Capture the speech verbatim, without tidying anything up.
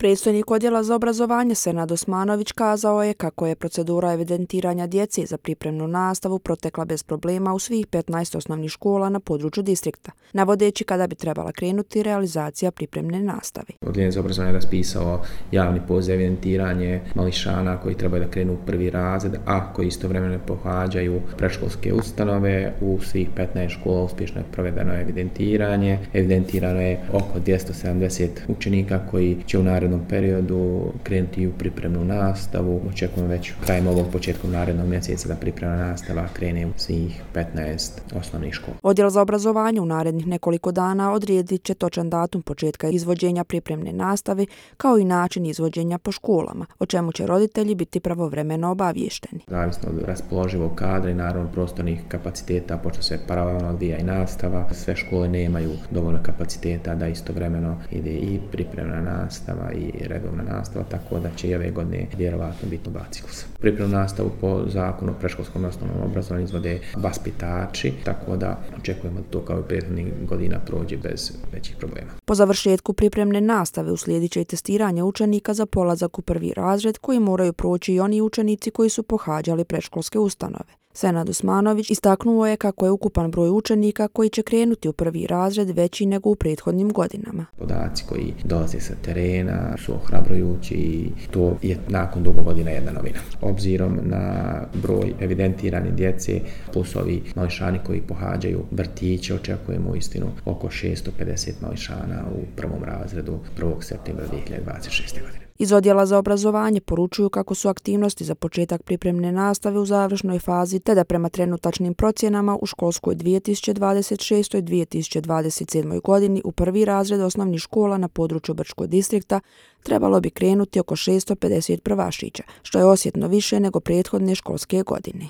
Predstojnik odjela za obrazovanje Senad Osmanović kazao je kako je procedura evidentiranja djece za pripremnu nastavu protekla bez problema u svih petnaest osnovnih škola na području distrikta, navodeći kada bi trebala krenuti realizacija pripremne nastave. Odjel za obrazovanje je raspisao javni poziv za evidentiranje mališana koji trebaju da krenu u prvi razred, a koji istovremeno pohađaju predškolske ustanove. U svih petnaest škola uspješno je provedeno evidentiranje. Evidentirano je oko dvjesto sedamdeset učenika koji će u narednom periodu krenuti u pripremnu nastavu. Očekujemo već krajem ovog početkom narednog mjeseca da pripremna nastava krene u svih petnaest osnovnih škola. Odjel za obrazovanje u narednih nekoliko dana odredit će točan datum početka izvođenja pripremne nastave kao i način izvođenja po školama, o čemu će roditelji biti pravovremeno obavješteni. Zavisno od raspoloživog kadra i naravno prostornih kapaciteta, pošto se paralelno odvija i nastava, sve škole nemaju dovoljno kapaciteta da istovremeno ide i pripremna nastava i redovna nastava, tako da će i ove godine vjerovatno biti oba ciklusa. Pripremnu nastavu po zakonu o predškolskom osnovnom obrazovanju izvode vaspitači, tako da očekujemo da to kao i prethodnih godina prođe bez većih problema. Po završetku pripremne nastave uslijedit će i testiranje učenika za polazak u prvi razred koji moraju proći i oni učenici koji su pohađali predškolske ustanove. Senad Osmanović istaknuo je kako je ukupan broj učenika koji će krenuti u prvi razred veći nego u prethodnim godinama. Podaci koji dolaze sa terena su ohrabrujući i to je nakon dugo godina jedna novina. Obzirom na broj evidentirane djece plus ovi mališani koji pohađaju vrtiće, očekujemo uistinu oko šesto pedeset mališana u prvom razredu prvog septembra dvije hiljade dvadeset šeste. godine. Iz odjela za obrazovanje poručuju kako su aktivnosti za početak pripremne nastave u završnoj fazi, te da prema trenutačnim procjenama u školskoj dvije tisuće dvadeset šestoj dvije tisuće dvadeset sedmoj. godini u prvi razred osnovnih škola na području Brčkog distrikta trebalo bi krenuti oko šesto pedeset prvašića, što je osjetno više nego prethodne školske godine.